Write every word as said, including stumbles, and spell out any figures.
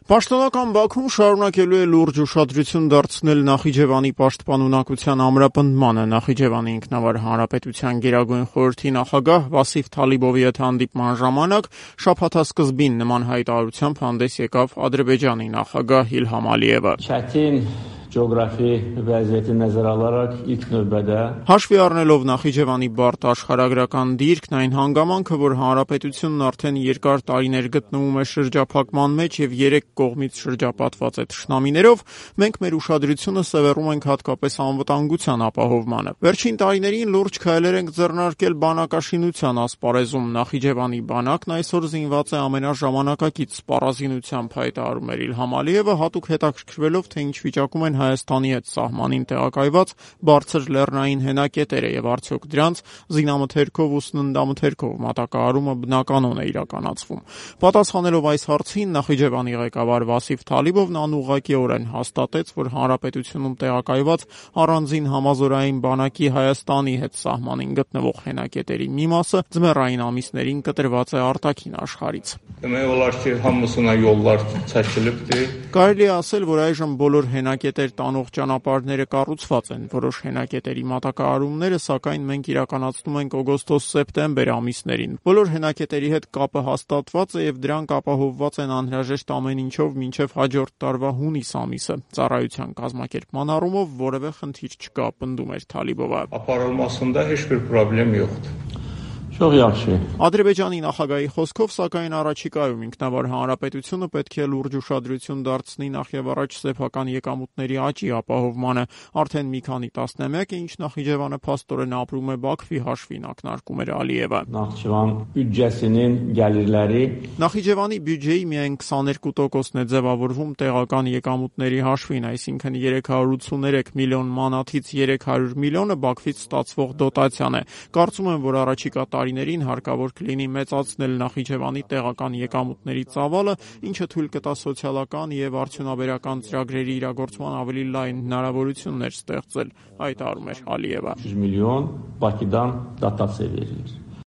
Պաշտոնական Բաքուն շարունակելու է լուրջ ուշադրություն դարձնել Նախիջևանի պաշտպանունակության ամրապնդմանը։ Նախիջևանի ինքնավար հանրապետության գերագույն խորհրդի նախագահ Վասիֆ Թալիբովի հետ հանդիպման ժամանակ շաբաթասկզբին նման հայտարարությամբ հանդես եկավ Ադրբեջանի նախագահ Իլհամ Ալիևը։ Geografi vəziyyəti nəzərə alaraq ilk növbədə Հաշվի առնելով Նախիջևանի բարդ աշխարհագրական դիրքն, այն հանգամանքը, որ հանրապետությունն արդեն երկար տարիներ գտնվում է շրջափակման մեջ եւ երեք կողմից շրջապատված է թշնամիներով, մենք մեր ուշադրությունը սևեռում ենք հատկապես անվտանգության ապահովմանը։ Վերջին տարիներին լուրջ քայլեր ենք ձեռնարկել բանակաշինության ասպարեզում։ Նախիջևանի բանակն այսօր զինված է ամենաժամանակակից սպառազինությամբ, հայտարարում էր Իլհամ Ալիևը, հատուկ հետաքրքրվելով, թե ինչ վիճակում են Հայաստանի հետ սահմանին տեղակայված բարձր լեռնային հենակետերը եւ արդյոք դրանց զինամթերքով ու սննդամթերքով մատակարարումը բնականon է իրականացվում։ Պատասխանելով այս հարցին, Նախիջևանի ղեկավար Վասիֆ Թալիբովն անուղղակիորեն հաստատեց, որ հանրապետությունում տեղակայված առանձին համազորային բանակի Հայաստանի հետ սահմանին գտնվող հենակետերի մի մասը ձմեռային ամիսներին կտրված է արտաքին աշխարհից։ Demək olar ki, hamısına yollar çəkilibdir. Կարելի է ասել, որ այժմ բոլոր հենակետեր տանող ճանապարհները կառուցված են։ Որոշ հենակետերի մատակարարումները, սակայն մենք իրականացնում ենք օգոստոս-սեպտեմբեր ամիսներին։ Բոլոր հենակետերի հետ կապը հաստատված է եւ դրանք ապահովված են անհրաժեշտ ամեն ինչով մինչեւ հաջորդ տարվա հունիս ամիսը։ Ծառայության կազմակերպման առումով որևէ խնդիր չկա, պնդում էր Թալիբովը։ Ապահովմասında heç bir problem yoxdur. Çox yaxşı. Ադրբեջանի նախագահի խոսքով, սակայն առաջիկայում ինքնավար հանրապետությունը պետք է լուրջ ուշադրություն դարձնի նախևառաջ սեփական եկամուտների աճի ապահովմանը։ Արդեն մի քանի տասնամյակ է, ինչ Նախիջևանը փաստորեն ապրում է Բաքվի հաշվին, ակնարկում էր Ալիևը։ Նախիջևան բյուջեսinin gəlirləri Նախիջևանի բյուջեի միայն քսաներկու տոկոսն է ձևավորվում տեղական եկամուտների հաշվին, այսինքն երեք հարյուր ութսուներեք միլիոն մանաթից երեք հարյուր միլիոնը Բաքվից ստացվող դոտացիան է։ Կարծում եմ, որ առաջիկա տարիներին հարկավոր կլինի մեծացնել Նախիջևանի տեղական եկամուտների ծավալը, ինչը թույլ կտա սոցիալական եւ արդյունաբերական ծրագրերի իրագործման ավելի լայն հնարավորություններ ստեղծել, հայտարարում էր Ալիևը։ yüz milyon Bakıdan dotasiya verilir.